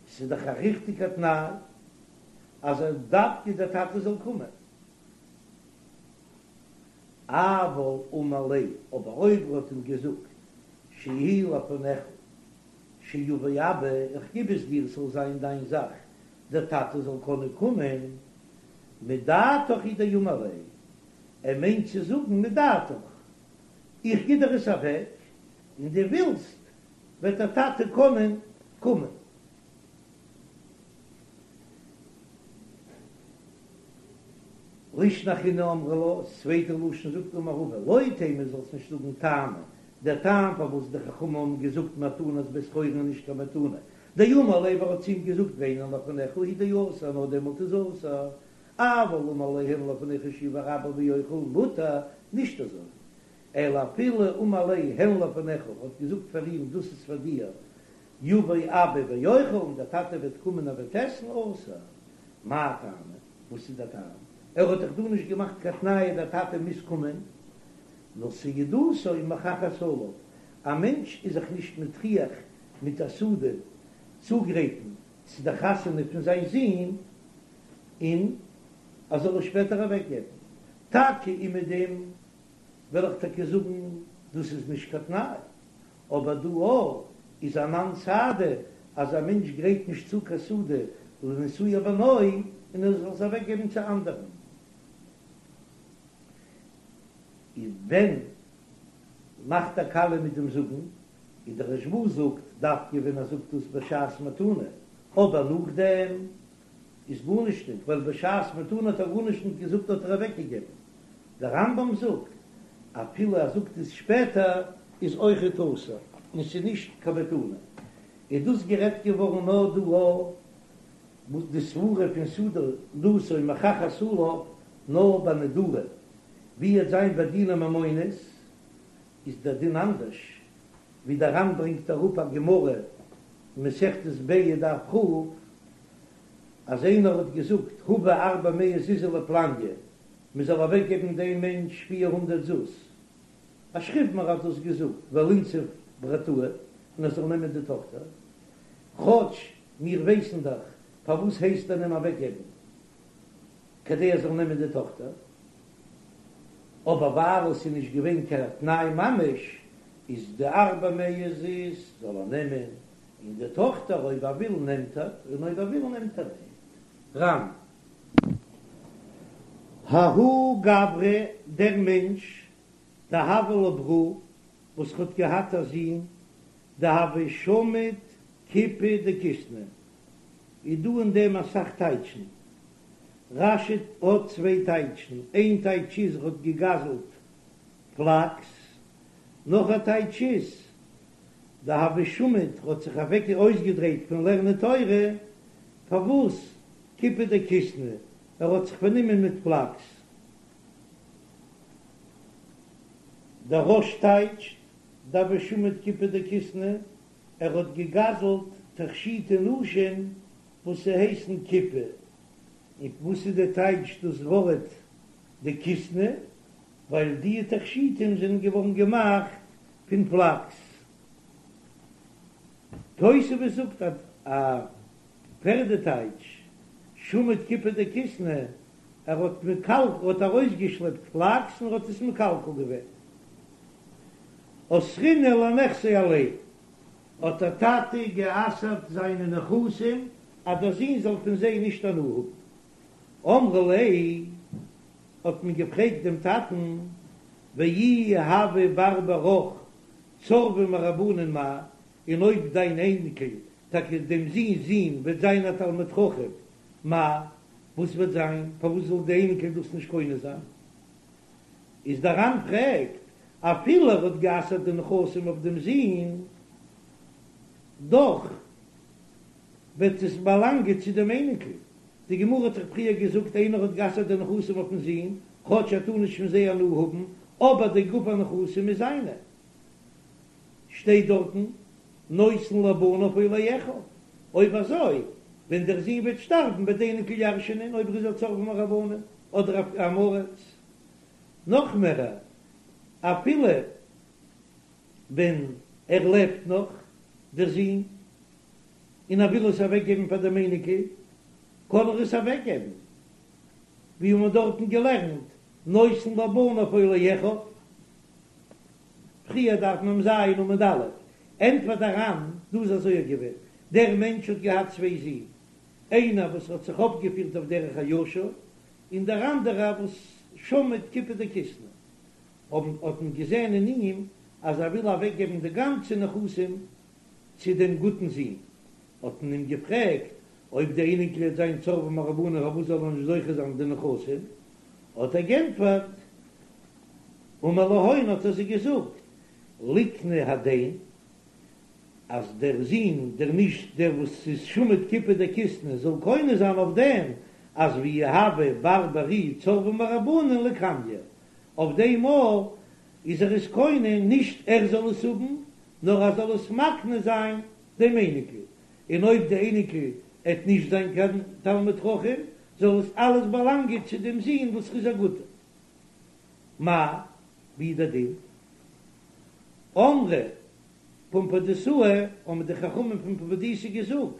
ס'איז דאך א ריכטיגע תנאי אז דווקא דער טאטע זאל קומען. אבל אמר ליה, אבער אויב ער האט אים געזאגט שיהי' לפניך שיבוא אבא, איך גיב עס דיר ס'זאל זיין דיין זאך, דער טאטע זאל קענען קומען, מדעתך הוא דאמר ליה, ער מיינט צו זאגן מדעתך, איך גיב דיר עס אוועק, און דו ווילסט וועט דער טאטע קענען קומען. לישנא אחרינא אמרי לה, ס'צווייטע לשון זאגט אמר רבא, לא תימא זאלסט נישט זאגן טעמא, דער טעם פארוואס די חכמים האבן געזאגט מתנת בית חורון איז נישט קיין מתנה, דאמר ליה ווייל ער האט צו אים געזאגט ואינן לפניך הוא דאסור נאר דעמאלט איז אסור, אבל אמר ליה הן לפניך שיבא אבא ויאכל מותר, נישט אזוי, אלא אפילו אמר ליה הן לפניך האט געזאגט פאר אים דאס איז פאר דיר, יבא אבא ויאכל און דער טאטע וועט קומען ער וועט עסן, אסור. מאי טעמא? וואס איז דער טעם? ער האט דאך דא נישט געמאכט קיין תנאי דער טאטע מוז קומען, נאר סעודתו מוכחת עליו, א מענטש איז זיך נישט מטריח מיט א סעודה צוגרייטן צו די חתונה פון זיין זון, און ער זאל עס שפעטער אוועקגעבן. טאקע און מיט דעם וועל איך טאקע זאגן דאס איז נישט קיין תנאי, אבער דא אויך איז אנן סהדי אז א מענטש גרייט נישט צו קיין סעודה לנישואי בנו און ער זאל עס אוועקגעבן צו אנדערן. און ווען מאכט ער קאליע מיט דעם זאגן, און דער רשב"א זאגט דווקא ווען ער זאגט דאס בשעת מתנה, אבער נאכדעם איז גארנישט ניט, ווייל בשעת מתנה האט ער גארנישט ניט געזאגט האט ער אוועקגעגעבן. דער רמב"ם זאגט, אפילו ער זאגט עס שפעטער איז אויכעט אסור, און ס'איז נישט קיין מתנה. איז דאס גערעדט געווארן נאר דא וואס די סברה פון סעודתו מוכחת עליו נאר ביי נדרים, ווי עט זיין ביי דיני ממונות איז דער דין אנדערש, ווי דער ר"ן ברענגט אראפ א גמרא אין מסכת ביצה דף כ', אז איינער האט געזאגט הבא ארבע מאה זוזי לפלניא, מען זאל אוועק געבן דעם מענטש 400 זוז, א שכיב מרע האט דאס געזאגט, ולינסיב ברתאי, און ער זאל נעמען די טאכטער, כאטש מיר ווייסן דאך פארוואס הייסט ער אים אוועק געבן, כדי ער זאל נעמען די טאכטער, אבער ווייל עס איז נישט געווען קיין תנאי ממש, איז די ארבע מאה זוז זאל ער נעמען, און די טאכטער אויב ער וויל נעמט ער, און אויב ער וויל נעמט ער ניט. ר"ן. ההוא גברא, דער מענטש, דהוה ליה ברא, וואס האט געהאט א זון, דהוה שמיט כיפי דכיתנא, איז דא אין דעם אסאך טייטשן. רש"י האט צוויי טייטשן, איין טייטש איז ער האט געגזלט פלאקס, נאך א טייטש איז דהוה שמיט האט זיך אוועק אויסגעדרייט פון לערנען תורה, פארוואס כיפי דכיתנא, ער האט זיך פארנומען מיט פלאקס. דער רא"ש טייטשט דהוה שמיט כיפי דכיתנא, ער האט געגזלט תכשיטי נשים וואס ס'הייסן כיפה. און וואס איז די טייטש דאס ווארט דכיתנא? ווייל די תכשיטים זענען געווארן געמאכט פון פלאקס. תוספות זאגט א פערדע טייטש, שמט כיפי דכיתנא, ער האט מקלקל, ער האט ארויסגעשלעפט פלאקס און ער האט עס מקלקל געווען. אסרינהו לנכסיה עליה, האט דער טאטע גע'אסר'ט זיינע נכסים אז דער זון זאל פון זיי נישט הנאה האבן. אמרו ליה, האט מען געפרעגט דעם טאטן, ואי הוה בר ברך צורבא מרבנן מאי, און אויב דיין אייניקל, טאקע דעם זון'ס זון, וועט זיין א תלמיד חכם, מאי, וואס וועט זיין, פארוואס זאל די אייניקל דאס נישט קונה זיין? איז דער ר"ן פרעגט, אפילו ער האט גע'אסר'ט די נכסים אויף דעם זון, דאך וועט עס באלאנגען צו דעם אייניקל. די גמרא האט דאך פריער געזאגט, איינער האט גע'אסר'ט די נכסים אויפן זון, כאטש ער טאר נישט פון זיי הנאה האבן, אבער די גוף הנכסים איז זיינע. שטייט דארטן, נותן לבניו או לאחיו. אויב אזוי, ווען דער זון וועט שטארבן וועט די אייניקל ירש'ענען אויב ער איז א צורבא מרבנן אדער א עם הארץ. נאך מער, אפילו ווען ער לעבט נאך, דער זון, און ער וויל עס אוועקגעבן פאר דעם אייניקל, קען ער עס אוועקגעבן, ווי מ'האט דארטן געלערנט, נותן לבניו או לאחיו. פריער דף מ"ז עמוד א', ענטפערט דער ר"ן, דא איז אזוי געווען, דער מענטש האט געהאט צוויי זין, איינער וואס האט זיך אויפגעפירט אויף דרך הישר, און דער אנדערער וואס שמט כיפי דכיתנא, האבן האט מען געזען אין אים אז ער וויל אוועקגעבן די גאנצע נכסים צו דעם גוטן זון, האט מען אים געפרעגט אויב דער אייניקל וועט זיין צורבא מרבנן פארוואס זאל ער נישט זוכה זיין די נכסים, האט ער גענטפערט, אמר להון האט ער זיי געזאגט, ליקני הדין, אז דער זון, דער נישט דער וואס איז שמט כיפי דכיתנא, זאל קונה זיין אויף דעם, אז ואי הוה בר ברי צורבא מרבנן ליקניה, אויף דעם מאל איז ער עס קונה, נישט ער זאל עס האבן, נאר ער זאל עס מקנה זיין דעם אייניקל, און אויב די אייניקל עט נישט זיין קיין תלמיד חכם, זאל עס אלעס באלאנגען צו דעם זון וואס איז א גוטער. מאי, ווי איז דער דין? אמרי פומבדיתאה, האבן די חכמים פון פומבדיתא געזאגט,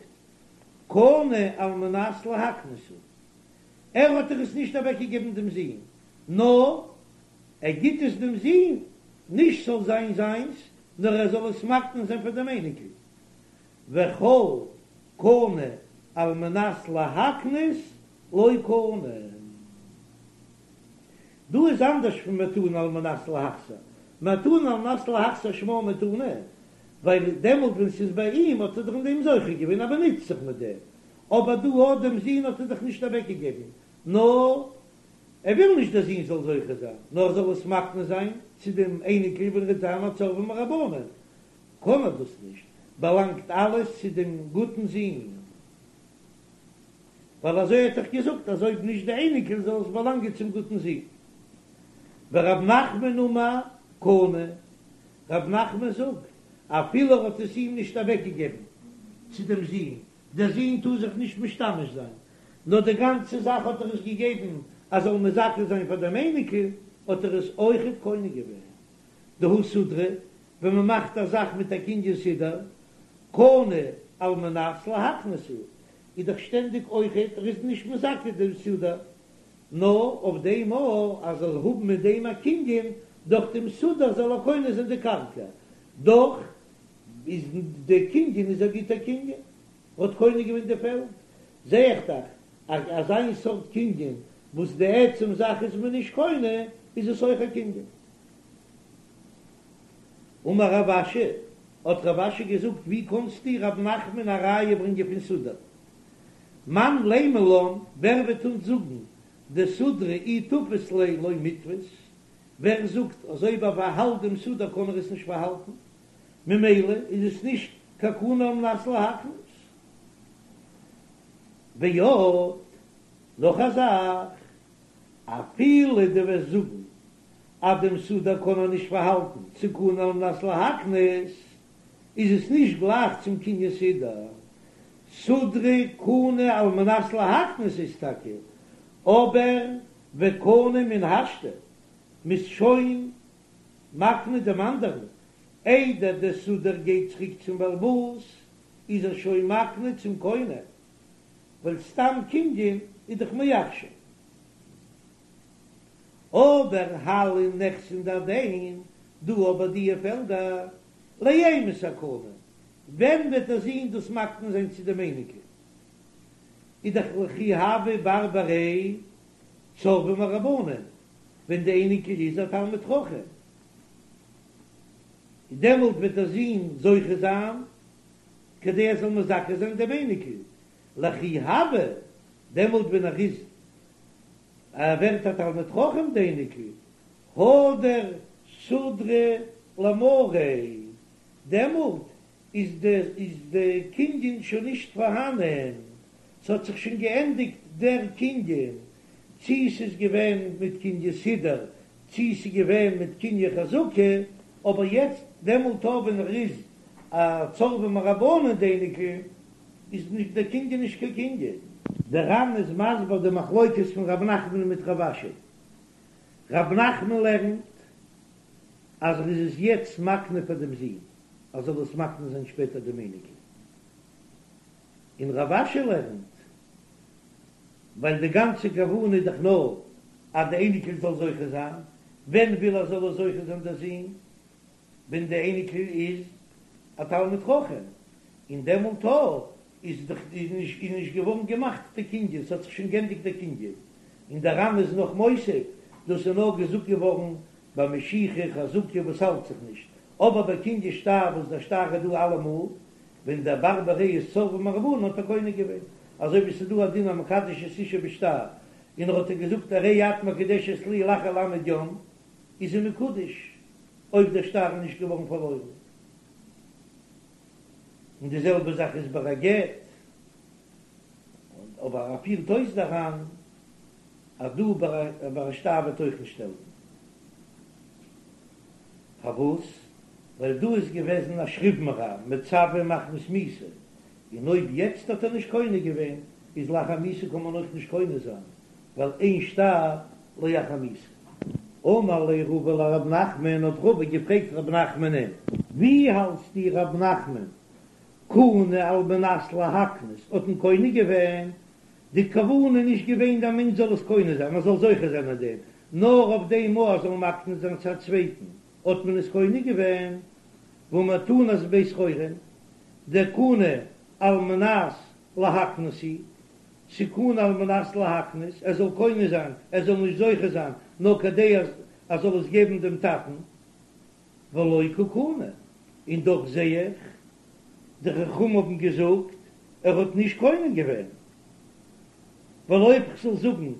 קנה על מנת להקנות הוא, ער האט דאך עס נישט אוועקגעגעבן דעם זון, נאר ער גיט עס דעם זון, נישט ס'זאל זיין זיינס, נאר ער זאל עס מקנה זיין פאר דעם אייניקל, וכל קנה על מנת להקנות לא קנה. דא איז אנדערש פון מתנה על מנת להחזיר, מתנה על מנת להחזיר שמה מתנה, ווייל דעמאלט ווען ס'איז ביי אים האט ער דאך אין דעם זוכה געווען ער באנוצט זיך מיט דעם, אבער דא האט דעם זון האט ער דאך נישט אוועקגעגעבן, נאר ער וויל נישט דער זון זאל זוכה זיין, נאר ער זאל עס מקנה זיין צו דעם אייניקל ווען ער וועט זיין א צורבא מרבנן, קען ער דאס נישט, באלאנגט אלעס צו דעם גוטן זון. ווייל אזוי האט דאך געזאגט אז אויב נישט די אייניקל זאל עס באלאנגען צום גוטן זון. ורב נחמן אמר קנה, רב נחמן זאגט אפילו ער האט עס אים נישט אוועקגעגעבן צו דעם זון, דער זון טאר זיך נישט משתמש זיין, נאר די גאנצע זאך האט ער עס געגעבן אז זאל מזכה זיין פאר דעם אייניקל, האט ער עס אויכעט קונה געווען. דהא סודרא, ווען מען מאכט א זאך מיט א קנין סודר, קנה על מנת להקנות הוא, איז דאך שטענדיג אויכעט ער איז נישט מזכה דעם סודר, נאר אויף דעם מאל אז ער זאל האבן מיט דעם א קנין, דורך דעם סודר זאל ער קונה זיין די קרקע, דאך איז די קנין איז א גוטע קנין, ער האט קונה געווען די פעלד, זע איך דאך אז אזיין סארט קנין וואס די עצם זאך איז מען נישט קונה, איז עס אויך א קנין. אמר רב אשי, האט רב אשי געזאגט, ווי קאנסטו רב נחמן א ראיה ברענגען פון סודר? מאן לימא לן, ווער וועט אונז זאגן דסודרא אי תפיס ליה לא מיתפיס, ווער זאגט אז אויב ער פארהאלט דעם סודר קען ער עס נישט פארהאלטן, ממילא איז עס נישט קיין קנה על מנת להקנות. ועוד, נאך א זאך, אפילו דו וועסט זאגן אז דעם סודר קען ער נישט פארהאלטן צו קנה על מנת להקנות, איז עס נישט גלייך צום קנין סודר. סודרא קנה על מנת להקנות איז טאקע, אבער וקנה מן השתא, מ'איז שוין מקנה דעם אנדערן, איידער דער סודר גייט צוריק צום בעל הבית, איז ער שוין מקנה צום קונה, ווייל סתם קנין איז דאך מעכשיו. אבער הלין נכסין דהדין, דא אבער דיע פעלדער, לאימתי קנה, ווען וועט דער זון דאס מקנה זיין צו דעם אייניקל? איז דאך לכי הוה בר בריה צורבא מרבנן, ווען די אייניקל איז א תלמיד חכם, דעמאלט וועט דער זון זוכה זיין כדי ער זאל מזכה זיין דעם אייניקל, לכי הוה, דעמאלט ווען ער איז ער ווערט א תלמיד חכם די אייניקל, הדר סודרא למריה, דעמאלט איז די איז די קנין שוין נישט פארהאנען, ס'האט זיך שוין געענדיגט דער קנין, צי ס'איז געווען מיט קנין סודר, צי ס'איז געווען מיט קנין חזקה, אבער יעצט דעמאלט אויב ווען ער איז א צורבא מרבנן די אייניקל, איז נישט דער קנין נישט קיין קנין. דער ר"ן איז מסביר די מחלוקת פון ר' נחמן מיט רב אשי. ר' נחמן לערנט אז ער איז עס יעצט מקנה פאר דעם זון, ער זאל עס מקנה זיין שפעטער דעם אייניקל. און רב אשי לערנט, ווייל די גאנצע כוונה איז דאך נאר אז די אייניקל זאל זוכה זיין, ווען וויל ער זאל עס זוכה זיין דער זון? ווען די אייניקל איז א תלמיד חכם, און דעמאלט איז דאך איז נישט איז נישט געווארן געמאכט די קנין, ס'האט זיך שוין גענדיגט די קנין, און דער ר"ן איז נאך מוסיף, דאס איז נאר געזאגט געווארן ביי משיכה חזקה וואס האלט זיך נישט, אבער ביי קנין שטר וואס דער שטר איז דא אלעמאל, ווען דער בר בריה איז צורבא מרבנן האט ער קונה געווען, אזוי ווי ס'איז דא א דין המקדש את אשתו בשטר, און ער האט איר געזאגט הרי את מקודשת לי לאחר למד יום, איז זי מקודש אויב דער שטר איז נישט געווארן פארלוירן. און די זעלבע זאך איז ביי א גט, אבער ער פירט אויס דער ר"ן אז דא ביי א שטר וועט אויך נישט העלפן. פארוואס? ווייל דא איז געוועזן א שכיב מרע מצווה מחמת מיתה, און אויב יעצט האט ער נישט קונה געווען, איז לאחר מיתה קען מען אויך נישט קונה זיין, ווייל אין שטר לאחר מיתה. אמר ליה רבא לרב נחמן, האט רבא געפרעגט רב נחמנ'ן, ווי האלטסטו רב נחמן, קנה על מנת להקנות, האט מען קונה געווען, די כוונה איז נישט געווען דער מענטש זאל עס קונה זיין, ער זאל זוכה זיין אין דעם, נאר אויף דעם אז ער זאל מקנה זיין צו א צווייטן, האט מען עס קונה געווען, והא מתנת בית חורין, דקנה על מנת להקנות היא, ס'קנה על מנת להקנות, ער זאל קונה זיין, ער זאל נישט זוכה זיין, נאר כדי אז ער זאל עס געבן דעם טאטן, ולא קא קני, און דאך זע איך, די חכמים האבן געזאגט, ער האט נישט קונה געווען, ווייל אויב כ'זאל זאגן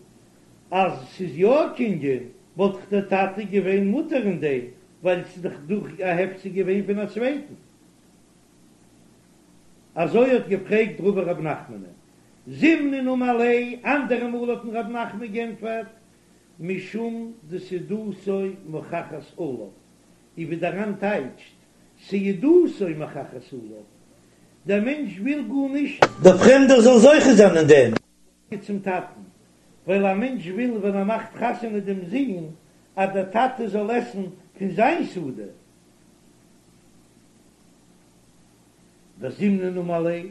אז ס'איז יא א קנין, וואלט דאך דער טאטע געווען מותר אין דעם, ווייל ס'איז דאך דורך א הפסק געווען פון א צווייטן. אזוי האט געפרעגט רבא רב נחמנען. זימנין אמר ליה, אנדערע מאל האט אים רב נחמן גענטפערט, משום דסעודתו מוכחת עליו, און ווי דער ר"ן טייטשט, סעודתו מוכחת עליו, דער מענטש וויל גארנישט. דער פרעמדער זאל זוכה זיין אין דעם. צום טאטן, ווייל א מענטש וויל ווען ער מאכט חתונה דעם זון אז דער טאטע זאל עסן פון זיין סעודה. וזימנין אמר ליה,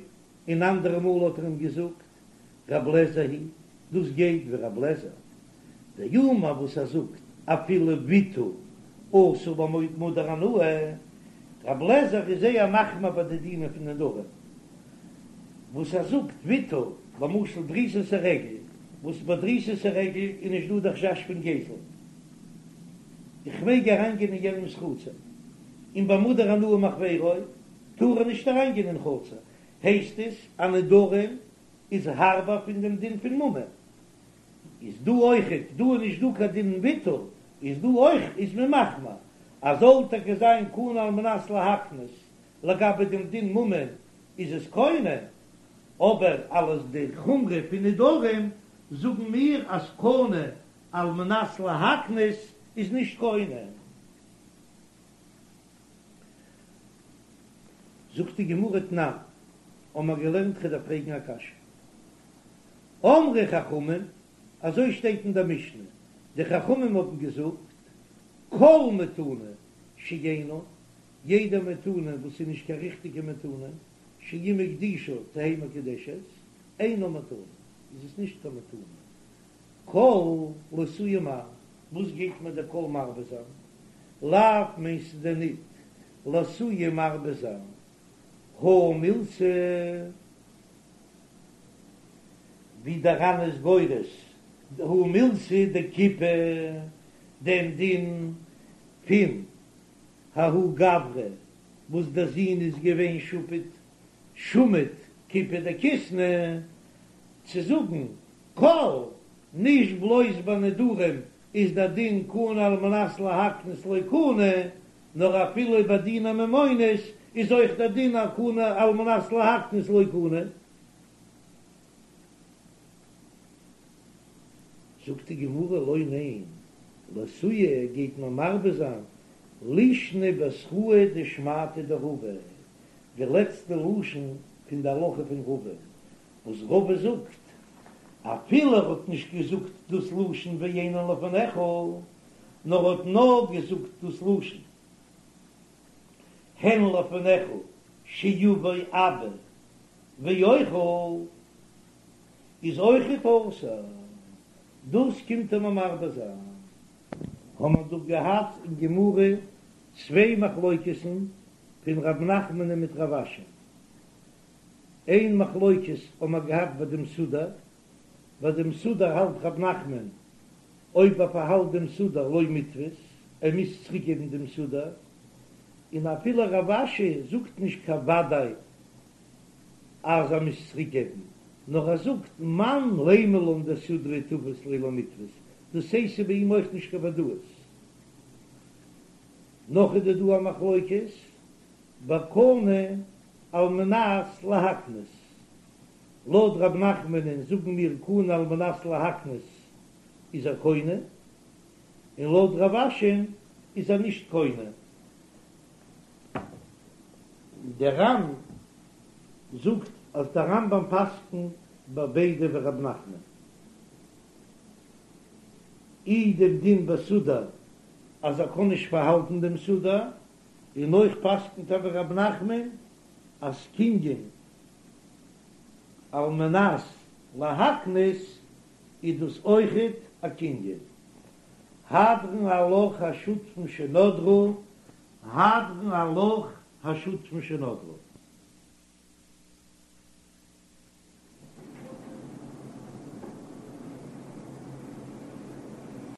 און אנדערע מאל האט ער אים געזאגט, רב לעזער היא, דאס גייט ווי רב לעזער דאמר וואס ער זאגט אפילו ויתור אסור במודר הנאה, רב לעזער איז זייער מחמיר ביי די דינים פון נדרים, וואס ער זאגט ויתור, למשל דריסת הרגל, וואס ביי דריסת הרגל איז נישט דא די חשש פון גזל, איך מעג אריינגיין אין יענעמס חצר, און ביי מודר הנאה מחבירו טאר ער נישט אריינגיין אין חצר, הייסט עס אז נדרים איז הארבער פון דעם דין פון ממון, איז דא אויכעט, דא איז נישט דא קיין דין ויתור, איז דא אויך איז מען מחמיר אז זאל טאקע זיין קנה על מנת להקנות, לגבי דעם דין ממון איז עס קונה, אבער אלס די חומרא פון נדרים זאגן מיר אז קנה על מנת להקנות איז נישט קונה. זאגט די גמרא תנן. האבן מיר געלערנט כ'דארף פרעגן א קשיא. אמרו חכמים, אזוי שטייט אין דער משנה, די חכמים האבן געזאגט, כל מתנה שאינה, יעדע מתנה וואס איז נישט קיין ריכטיגע מתנה, שאם הקדישה תהא מקודשת, אינה מתנה, איז עס נישט קיין מתנה. כל לאתויי מאי, וואס גייט מיר דער כל מרבה זיין? לאו מיינסטו דען ניט לאתויי מרבה זיין הא מילתא? ווי דער ר"ן איז גורס הא מילתא דכיפה דעם דין פון ההוא גברא וואס דער זון איז געווען שפוט שמיט כיפי דכיסנא צו זאגן כל, נישט בלויז ביי נדרים איז דער דין קנה על מנת להקנות לא קנה, נאר אפילו ביי דיני ממונות איז אויך דער דין א קנה על מנת להקנות לא קנה. זאגט די גמרא לא ניין, לאתויי גייט מען מרבה זיין לישנא בתראי דשמעתיה דרבא, די לעצטע לשון פון די הלכה פון רבא, וואס רבא זאגט, אפילו ער האט נישט געזאגט דאס לשון ואינן לפניך, נאר האט נאר געזאגט דאס לשון הן לפניך שיבוא אבא ואוכל, איז אויכעט אסור, דאס קומט ער מיר מרבה זיין. האבן מיר דא געהאט אין גמרא צוויי מחלוקת'ן פון ר' נחמנ'ן מיט רב אשי. איין מחלוקת האבן מיר געהאט ביי דעם סודר, ביי דעם סודר האלט ר' נחמן אויב ער פארהאלט דעם סודר לא מיתפיס, ער מוז צוריק געבן דעם סודר, און אפילו רב אשי זאגט נישט קיין וודאי אז ער מוז צוריק געבן, נאר ער זאגט מאן לימא לן דסודרא תפס ליה לא מיתפיס, דאס הייסט ס'איז ביי אים אויך נישט קיין ודאות. נאך איז דא דא א מחלוקת בקנה על מנת להקנות, לויט רב נחמנ'ן זאגן מיר קנה על מנת להקנות איז ער קונה, און לויט רב אשי'ן איז ער נישט קונה. דער ר"ן זאגט אז דער רמב"ם פסק'נט ביי ביידע ווי רב נחמן. אי דעם דין בסודר אז ער קען נישט פארהאלטן דעם סודר, און אויך פסק'נט ער ווי רב נחמן אז קנין על מנת להקנות איז דאס אויכעט א קנין. הדרן עלך השותפין שנדרו, הדרן עלך השותפין שנדרו.